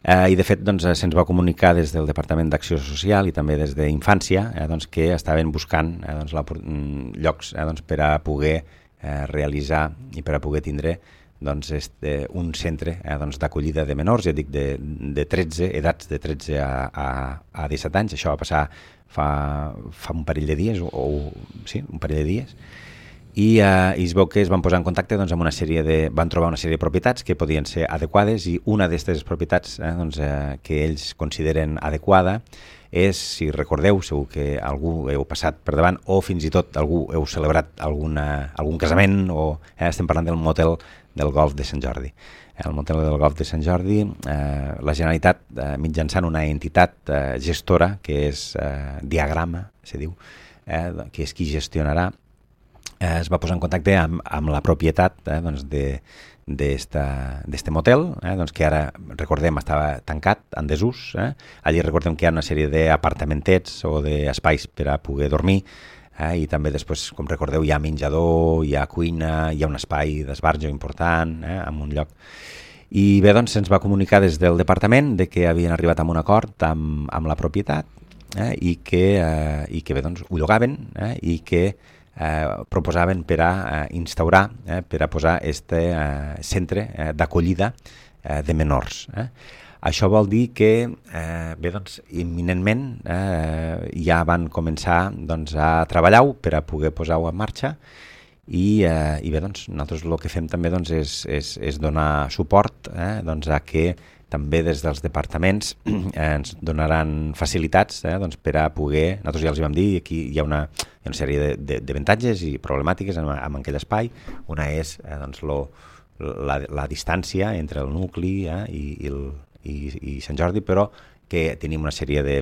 Eh, I de fet doncs, se'ns va comunicar des del Departament d'Acció Social i també des d'Infància eh, doncs, que estaven buscant eh, doncs, la, llocs eh, doncs, per a poder eh, realitzar i per a poder tindre doncs, este, un centre eh, doncs, d'acollida de menors, ja dic, de, de tretze, edats de tretze a, a, a disset anys. Això va passar fa, fa un parell de dies, o, o sí, un parell de dies, i, eh, i es veu que es van posar en contacte doncs, amb una sèrie de... van trobar una sèrie de propietats que podien ser adequades, i una d'aquestes propietats eh, doncs, eh, que ells consideren adequada és, si recordeu, segur que algú heu passat per davant o fins i tot algú heu celebrat alguna, algun casament, o eh, estem parlant del motel del Golf de Sant Jordi. El motel del Golf de Sant Jordi, eh, la Generalitat, eh, mitjançant una entitat eh, gestora, que és eh, Diagrama, se diu, eh, que és qui gestionarà, eh, es va posar en contacte amb, amb la propietat eh, doncs de d'este motel, eh, doncs que ara, recordem, estava tancat, en desús. Eh? Allí recordem que hi ha una sèrie d'apartamentets o d'espais per a poder dormir, eh? I també després, com recordeu, hi ha menjador, hi ha cuina, hi ha un espai d'esbarjo important, eh? En un lloc. I bé, doncs se'ns va comunicar des del departament de que havien arribat a un acord amb, amb la propietat eh? I, que, eh, i que bé, doncs ho llogaven eh? I que Eh, proposaven per a eh, instaurar, eh, per a posar este eh, centre eh, d'acollida eh, de menors. Eh. Això vol dir que eh, bé, doncs, imminentment eh, ja van començar doncs, a treballar-ho per a poder posar-ho en marxa, i, eh, i bé, doncs, nosaltres el que fem també doncs, és, és, és donar suport eh, doncs, a que també des dels departaments eh, ens donaran facilitats eh, doncs, per a poder, nosaltres ja els vam dir, aquí hi ha una, hi ha una sèrie d'avantatges i problemàtiques en, en aquell espai. Una és eh, doncs, lo, la, la distància entre el nucli eh, i, i, el, i, i Sant Jordi, però que tenim una sèrie de,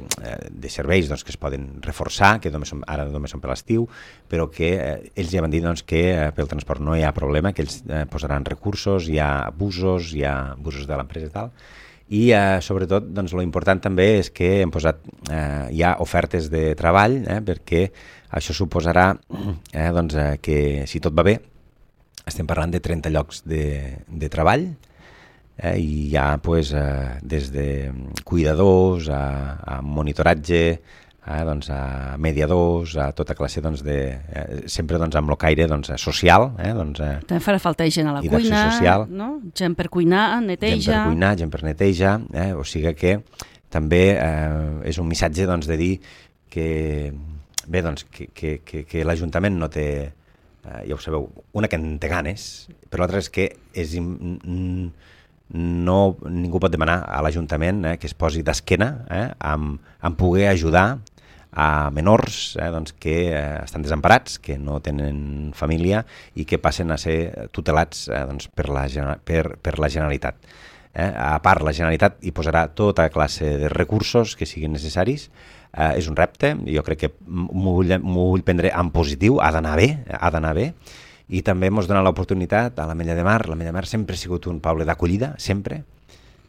de serveis doncs, que es poden reforçar, que només són, ara només són per l'estiu, però que eh, ells ja van dir doncs, que eh, pel transport no hi ha problema, que ells eh, posaran recursos, hi ha busos, hi ha busos de l'empresa i tal. I eh, sobretot doncs, lo important també és que hem posat eh, ja ofertes de treball, eh, perquè això suposarà eh, doncs, eh, que si tot va bé estem parlant de trenta llocs de, de treball, eh, i hi ha pues, eh, des de cuidadors a, a monitoratge, eh, doncs, a mediadors, a tota classe doncs, de, eh, sempre doncs, amb el caire doncs, social. Eh, doncs, eh, També farà falta gent a la cuina, social, no? Gent per cuinar, neteja... Gent per cuinar, gent per neteja, eh, o sigui que també eh, és un missatge doncs, de dir que, bé, doncs, que, que, que, que l'Ajuntament no té, eh, ja ho sabeu, una que en té ganes, però l'altra és que és... no, ningú pot demanar a l'Ajuntament eh, que es posi d'esquena eh, amb, amb poder ajudar a menors eh, doncs, que eh, estan desemparats, que no tenen família i que passen a ser tutelats eh, doncs, per, la, per, per la Generalitat. Eh? A part, la Generalitat hi posarà tota classe de recursos que siguin necessaris. Eh, és un repte, jo crec que m'ho vull, vull prendre en positiu, ha d'anar bé, ha d'anar bé. I també ens dona l'oportunitat a l'Ametlla de Mar. L'Ametlla de Mar sempre ha sigut un poble d'acollida, sempre,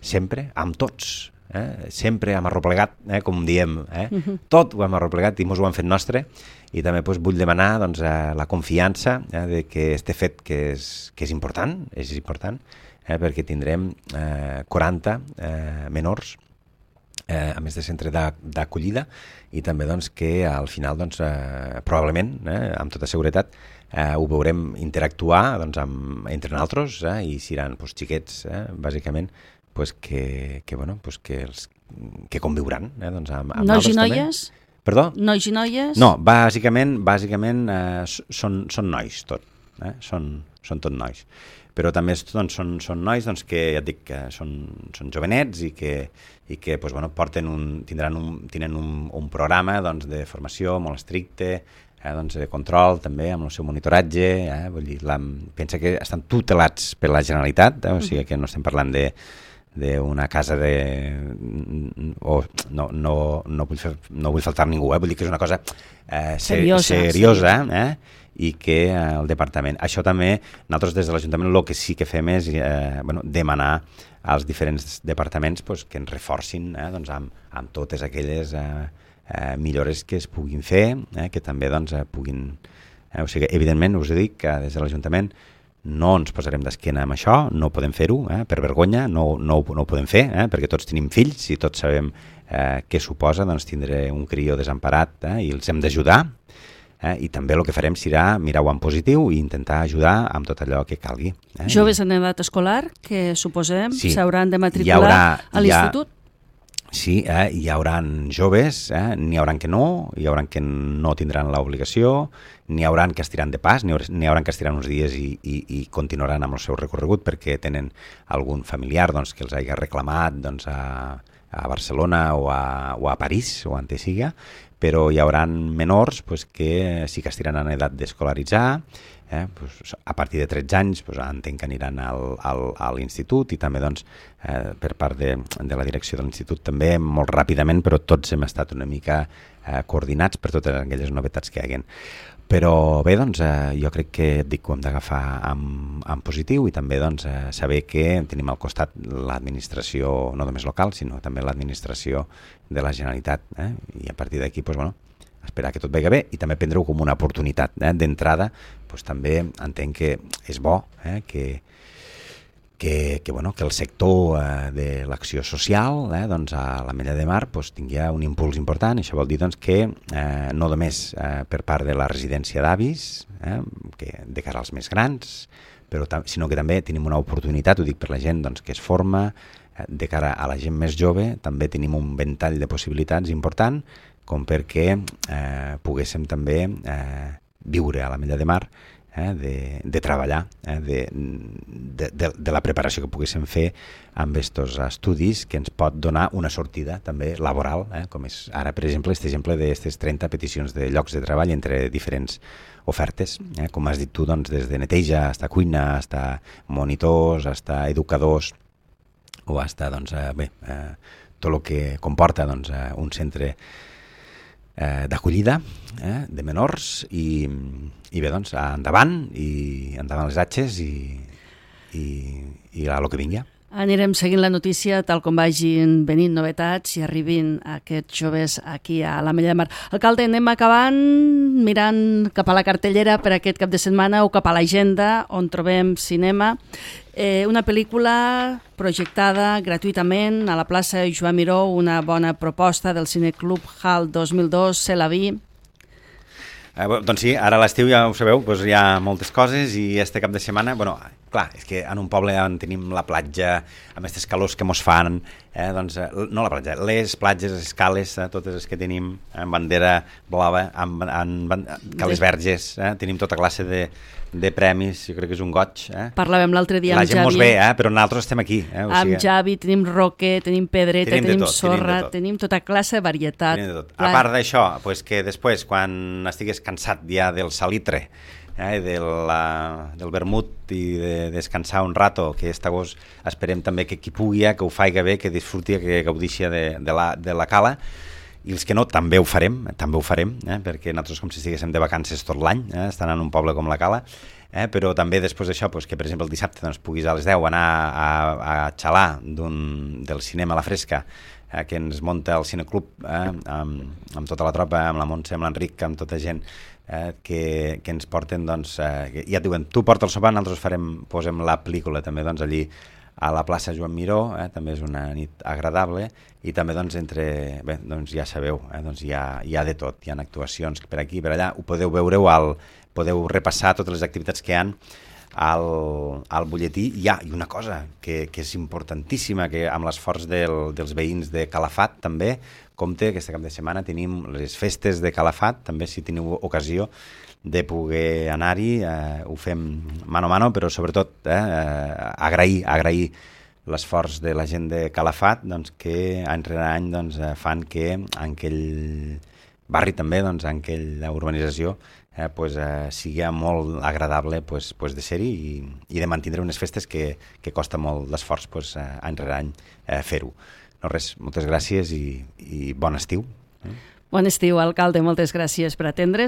sempre, amb tots, eh? Sempre hem arroplegat, eh? Com diem, eh? Uh-huh. Tot ho hem arroplegat i ens ho hem fet nostre, i també doncs, vull demanar doncs, eh, la confiança eh, de que este fet que és, que és important, és important, eh, perquè tindrem eh, quaranta eh, menors eh, a més de centre d'acollida, i també doncs, que al final doncs, eh, probablement, eh, amb tota seguretat, Eh, ho veurem interactuar doncs, amb, entre nosaltres eh, i seran doncs, xiquets, eh, bàsicament, pues, que, que, bueno, pues, que, els, que conviuran eh, doncs, amb, amb nois i noies? També. Perdó? Nois i noies? No, bàsicament, bàsicament eh, són, són nois tot, eh? són, són tot nois. Però també doncs, són, són nois doncs, que ja et dic que són, són jovenets i que, i que doncs, bueno, porten un, tindran un, tenen un, un programa doncs, de formació molt estricte, Eh, doncs, de control també amb el seu monitoratge, eh, vull dir, la, pensa que estan tutelats per la Generalitat, eh, o sigui que no estem parlant de d'una casa de... o no, no, no, vull fer, no vull faltar ningú, eh, vull dir que és una cosa eh, ser, seriosa, seriosa eh, i que eh, el departament... Això també, nosaltres des de l'Ajuntament el que sí que fem és eh, bueno, demanar als diferents departaments pues, que ens reforcin eh, doncs, amb, amb totes aquelles... Eh, eh, millores que es puguin fer, eh, que també doncs, eh, puguin... Eh, o sigui, evidentment, us dic que des de l'Ajuntament no ens posarem d'esquena amb això, no podem fer-ho, eh, per vergonya, no, no, no ho podem fer, eh, perquè tots tenim fills i tots sabem eh, què suposa doncs, tindre un crió desemparat eh, i els hem d'ajudar. Eh, I també el que farem serà mirar-ho en positiu i intentar ajudar amb tot allò que calgui. Eh? Joves en edat escolar, que suposem s'hauran sí, de matricular haurà, a l'institut? Ha, sí, eh, hi haurà joves, eh, n'hi haurà que no, hi haurà que no tindran l'obligació, n'hi haurà que estiran de pas, n'hi haurà que estiran uns dies i, i, i continuaran amb el seu recorregut perquè tenen algun familiar doncs, que els hagi reclamat doncs, a, a Barcelona o a, o a París o on te siga, però hi haurà menors pues, que sí que estiran en edat d'escolaritzar, eh, pues, a partir de tretze anys pues, entenc que aniran al, al, a l'institut i també doncs, eh, per part de, de la direcció de l'institut també molt ràpidament, però tots hem estat una mica eh, coordinats per totes aquelles novetats que hi haguen. Però bé, doncs, eh, jo crec que dic que ho hem d'agafar en, en positiu i també doncs, eh, saber que tenim al costat l'administració, no només local, sinó també l'administració de la Generalitat. Eh? I a partir d'aquí, doncs, bueno, esperar que tot vagi bé i també prendre-ho com una oportunitat. Eh? D'entrada, doncs, també entenc que és bo eh? que, que, que, bueno, que el sector eh, de l'acció social eh, doncs, a l'Ametlla de Mar doncs, tingui un impuls important. Això vol dir doncs, que eh, no només eh, per part de la residència d'avis, eh, que de cara als més grans, però sinó que també tenim una oportunitat, ho dic per la gent doncs, que es forma, eh, de cara a la gent més jove, també tenim un ventall de possibilitats important, com perquè eh, poguéssim també eh, viure a l'Ametlla de Mar, eh, de, de treballar, eh, de, de, de, de la preparació que poguéssim fer amb aquests estudis que ens pot donar una sortida també laboral, eh, com és ara, per exemple, aquest exemple d'aquestes trenta peticions de llocs de treball entre diferents ofertes, eh, com has dit tu, doncs, des de neteja, fins a cuina, fins a monitors, fins a educadors, o fins a, doncs, eh, bé, eh, tot el que comporta doncs, eh, un centre eh, d'acollida eh, de menors i, i bé, doncs, endavant i endavant les atxes i, i, i a lo que vingui. Anirem seguint la notícia tal com vagin venint novetats i arribin aquests joves aquí a l'Ametlla de Mar. Alcalde, anem acabant mirant cap a la cartellera per aquest cap de setmana o cap a l'agenda on trobem cinema. Eh, una pel·lícula projectada gratuïtament a la plaça Joan Miró, una bona proposta del Cineclub Hall dos mil dos, C'est la vie. Eh, doncs sí, ara a l'estiu ja ho sabeu, doncs hi ha moltes coses i este cap de setmana, bueno, clar, és que en un poble on tenim la platja, amb aquestes calors que mos fan, eh, doncs, no la platja, les platges, les cales, eh, totes les que tenim, amb bandera blava, amb, amb, amb cales verges, eh, tenim tota classe de, de premis, jo crec que és un goig. Eh? Parlàvem l'altre dia amb Javi. La gent mos ve, eh, però nosaltres estem aquí. Eh, o amb sigui... Javi tenim roque, tenim pedreta, tenim, tenim tot, sorra, tenim, tenim tota classe de varietat. Tenim de tot. A part d'això, pues que després, quan estigues cansat ja del salitre, eh, de la, del vermut i de descansar un rato, que aquest agost esperem també que qui pugui, que ho faiga bé, que disfruti, que gaudixi de, de, la, de la cala, i els que no també ho farem, també ho farem, eh, perquè nosaltres com si estiguéssim de vacances tot l'any, eh, estan en un poble com la Cala, eh, però també després d'això, pues, que per exemple el dissabte doncs, puguis a les deu anar a, a xalar del cinema a la fresca, eh, que ens munta el Cineclub, eh, amb, amb tota la tropa, amb la Montse, amb l'Enric, amb tota gent, Eh, que, que ens porten, doncs, eh, ja et diuen, tu porta el sopar, nosaltres farem, posem la pel·lícula també, doncs, allí a la plaça Joan Miró, eh, també és una nit agradable, i també, doncs, entre, bé, doncs ja sabeu, eh, doncs hi ha, hi ha de tot, hi ha actuacions per aquí, per allà, ho podeu veure, al, podeu repassar totes les activitats que hi ha al, al butlletí. Hi ha, i una cosa que, que és importantíssima, que amb l'esforç del, dels veïns de Calafat també, compte, aquest cap de setmana tenim les festes de Calafat, també si teniu ocasió de poder anar-hi, eh, ho fem mano a mano, però sobretot eh, agrair, agrair l'esforç de la gent de Calafat, doncs, que any rere any doncs, fan que en aquell barri també, doncs, en aquella urbanització, eh, pues, eh, sigui molt agradable pues, pues de ser-hi i, i de mantindre unes festes que, que costa molt l'esforç pues, eh, any rere any eh, fer-ho. No res, moltes gràcies i, i bon estiu. Bon estiu, alcalde, moltes gràcies per atendre's